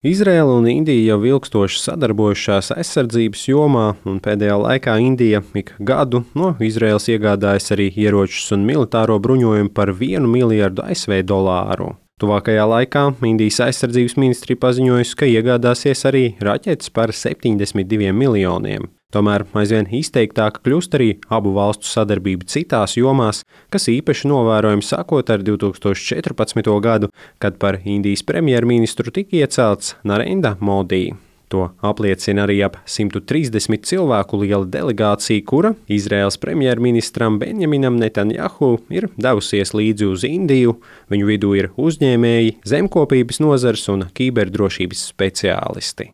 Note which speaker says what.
Speaker 1: Izraela un Indija jau ilgstoši sadarbojušās aizsardzības jomā, un pēdējā laikā Indija ik gadu no Izraēlas iegādājas arī ieročus un militāro bruņojumu par $1 miljardu ASV dolāru. Tuvākajā laikā Indijas aizsardzības ministrija paziņojusi, ka iegādāsies arī raķetes par 72 miljoniem. Tomēr aizvien izteiktāka kļūst arī abu valstu sadarbība citās jomās, kas īpaši novērojami sākot ar 2014. gadu, kad par Indijas premjerministru tika iecelts Narendra Modi. To apliecina arī ap 130 cilvēku liela delegācija, kura Izraēlas premjerministram Benjaminam Netanjahu ir devusies līdzi uz Indiju. Viņu vidū ir uzņēmēji, zemkopības nozars un kiberdrošības speciālisti.